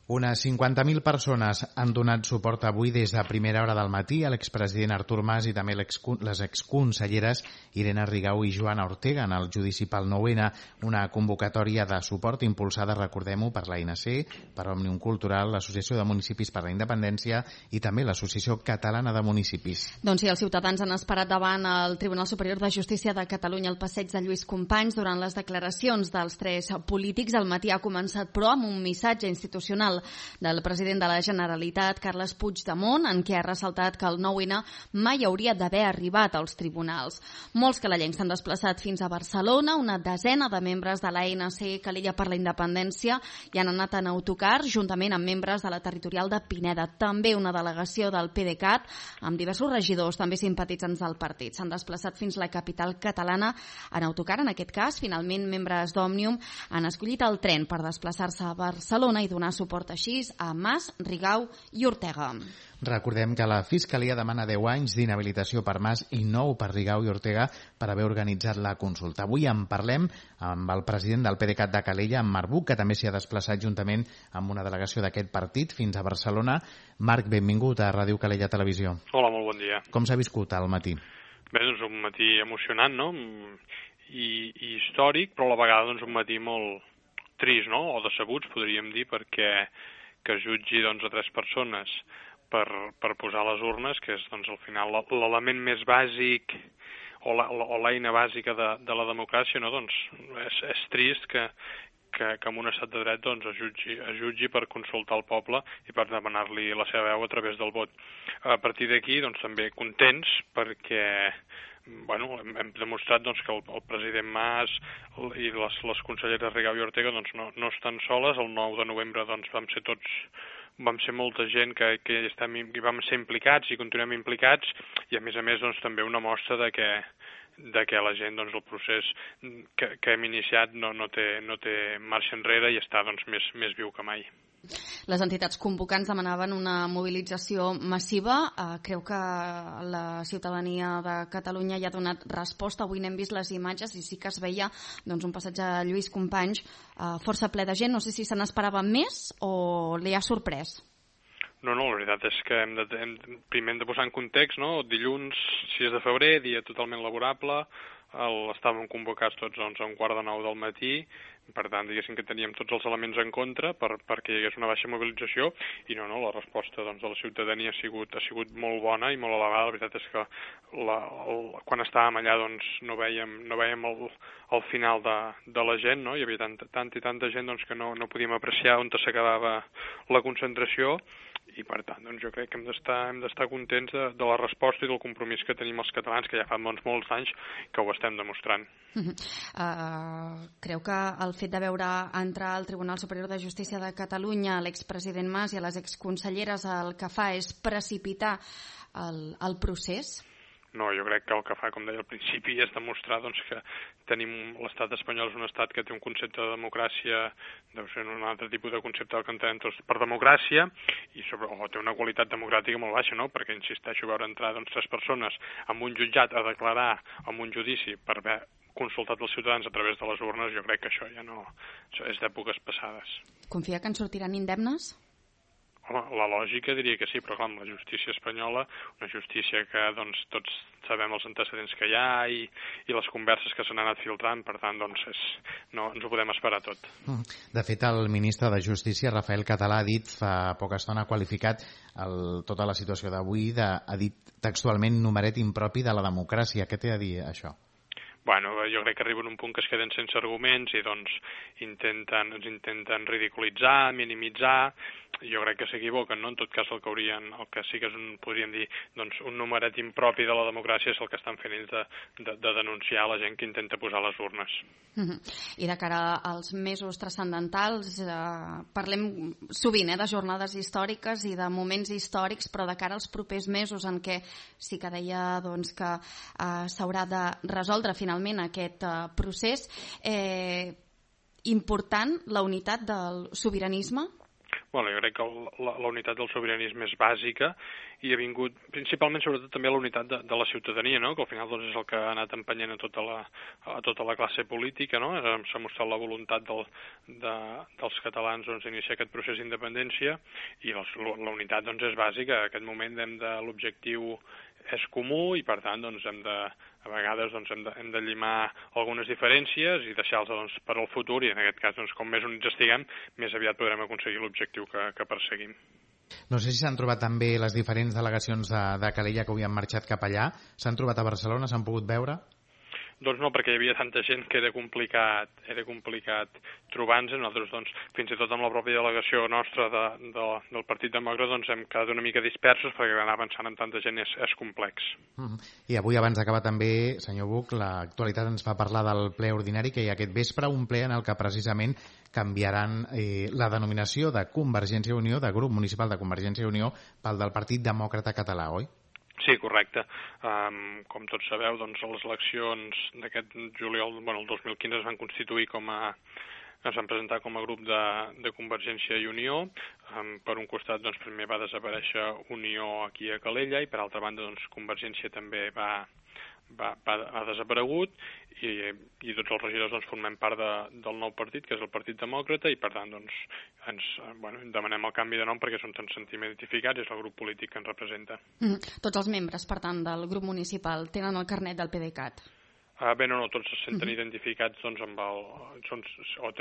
Unes 50.000 persones han donat suport avui des de primera hora del matí a l'expresident Artur Mas i també les exconselleres Irene Rigau i Joana Ortega en el judici pel 9-N, una convocatòria de suport impulsada, recordem-ho, per l'ANC, per Òmnium Cultural, l'Associació de Municipis per la Independència i també l'Associació Catalana de Municipis. Doncs sí, els ciutadans han esperat davant el Tribunal Superior de Justícia de Catalunya al passeig de Lluís Companys durant les declaracions dels tres polítics. El matí ha començat, però, amb un missatge institucional del president de la Generalitat, Carles Puigdemont, en què ha ressaltat que el 9-N mai hauria d'haver arribat als tribunals. Molts calalencs s'han desplaçat fins a Barcelona, una desena de membres de l'ANC Calella per la Independència i han anat en autocar juntament amb membres de la territorial de Pineda. També una delegació del PDeCAT amb diversos regidors, també simpatitzants del partit. S'han desplaçat fins a la capital catalana en autocar. En aquest cas, finalment, membres d'Òmnium han escollit el tren per desplaçar-se a Barcelona i donar suport així a Mas, Rigau i Ortega. Recordem que la Fiscalia demana 10 anys d'inhabilitació per Mas i 9 per Rigau i Ortega per haver organitzat la consulta. Avui en parlem amb el president del PDeCAT de Calella, en Marc Buch, que també s'hi ha desplaçat juntament amb una delegació d'aquest partit fins a Barcelona. Marc, benvingut a Ràdio Calella Televisió. Hola, molt bon dia. Com s'ha viscut al matí? Bé, doncs un matí emocionant, no? I històric, però a la vegada doncs, un matí molt trist, no? O decebuts, podríem dir, perquè que jutgi doncs, a tres persones per posar les urnes, que és doncs, al final l'element més bàsic o l'eina bàsica de la democràcia, no? Doncs és trist que en un estat de dret doncs, es jutgi per consultar el poble i per demanar-li la seva veu a través del vot. A partir d'aquí doncs, també contents perquè hem demostrat doncs, que el president Mas i les conselleres Rigau i Ortega doncs, no estan soles. El 9 de novembre doncs, vam ser molta gent que vam ser implicats i continuem implicats i a més doncs, també una mostra de que la gent, doncs, el procés que hem iniciat no té marxa enrere i està doncs, més viu que mai. Les entitats convocants demanaven una mobilització massiva. Creu que la ciutadania de Catalunya hi ha donat resposta? Avui n'hem vist les imatges i sí que es veia doncs, un passatge a Lluís Companys força ple de gent. No sé si se n'esperava més o li ha sorprès. No, la veritat és que primer hem de posar en context, no? Dilluns 6 de febrer, dia totalment laborable, estàvem convocats tots a 8:45 del matí, per tant, diguéssim que teníem tots els elements en contra perquè hi hagués una baixa mobilització i la resposta doncs, de la ciutadania ha sigut molt bona i molt elevada. La veritat és que quan estàvem allà doncs, no vèiem el final de la gent, no? Hi havia tanta gent doncs, que no podíem apreciar on s'acabava la concentració i per tant doncs, jo crec que hem d'estar contents de la resposta i del compromís que tenim els catalans, que ja fa molts anys que ho estem demostrant. Creu que el fet de veure entrar al Tribunal Superior de Justícia de Catalunya l'expresident Mas i a les exconselleres el que fa és precipitar el procés? No, jo crec que el que fa, com deia al principi, és demostrar doncs, que l'estat espanyol és un estat que té un concepte de democràcia, deu ser un altre tipus de concepte que entenem tots per democràcia, i té una qualitat democràtica molt baixa, no? Perquè, insisteixo, veure entrar doncs, tres persones en un jutjat a declarar en un judici per haver consultat els ciutadans a través de les urnes, jo crec que això ja no... Això és d'èpoques passades. Confia que en sortiran indemnes? Home, la lògica diria que sí, però clar, amb la justícia espanyola, una justícia que doncs, tots sabem els antecedents que hi ha i les converses que s'han anat filtrant, per tant, doncs, no ens ho podem esperar tot. De fet, el ministre de Justícia, Rafael Català, ha dit fa poca estona, ha qualificat tota la situació d'avui, ha dit textualment numeret impropi de la democràcia. Què té a dir això? Bueno, jo crec que arriben a un punt que es queden sense arguments i doncs ens intenten ridiculitzar, minimitzar. Jo crec que s'equivoquen, no? En tot cas, el que sí que podríem dir, doncs, un numeret impropi de la democràcia és el que estan fent ells de denunciar la gent que intenta posar les urnes. I de cara als mesos transcendentals, parlem sovint de jornades històriques i de moments històrics, però de cara als propers mesos en què sí que deia doncs, que s'haurà de resoldre finalment aquest procés, important la unitat del sobiranisme? Bueno, jo crec que la unitat del sobiranisme és bàsica i ha vingut principalment, sobretot, també la unitat de la ciutadania, no? Que al final doncs, és el que ha anat empenyent a tota la classe política, no? S'ha mostrat la voluntat dels catalans doncs, d'iniciar aquest procés d'independència i la unitat doncs, és bàsica. En aquest moment l'objectiu és comú i, per tant, doncs, a vegades doncs, hem de llimar algunes diferències i deixar-les doncs, per al futur i, en aquest cas, doncs, com més units estiguem, més aviat podrem aconseguir l'objectiu que perseguim. No sé si s'han trobat també les diferents delegacions de Calella que avui han marxat cap allà. S'han trobat a Barcelona? S'han pogut veure? Doncs no, perquè hi havia tanta gent que era complicat trobar-nos. Nosaltres, doncs, fins i tot amb la pròpia delegació nostra del Partit Demòcrata, doncs hem quedat una mica dispersos perquè anar avançant amb tanta gent és complex. I avui, abans d'acabar també, senyor Buch, l'actualitat ens fa parlar del ple ordinari que hi ha aquest vespre, un ple en el que precisament canviaran la denominació de Convergència i Unió, de grup municipal de Convergència i Unió, pel del Partit Demòcrata Català, oi? Sí, correcte. Com tots sabeu, doncs, les eleccions d'aquest juliol, el 2015 es van constituir es van presentar com a grup de Convergència i Unió. Per un costat, doncs, primer va desaparèixer Unió aquí a Calella i per altra banda, doncs, Convergència també ha desaparegut i tots els regidors doncs, formem part del nou partit, que és el Partit Demòcrata, i per tant doncs, ens demanem el canvi de nom perquè ens sentim identificats i és el grup polític que ens representa. Tots els membres, per tant, del grup municipal tenen el carnet del PDeCAT? No, tots se senten identificats doncs, o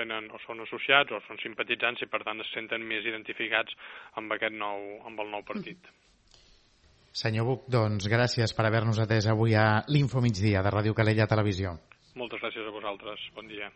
són associats o són simpatitzants i per tant es senten més identificats amb el nou partit. Senyor Buch, doncs gràcies per haver-nos atès avui a l'Info Migdia de Ràdio Calella Televisió. Moltes gràcies a vosaltres. Bon dia.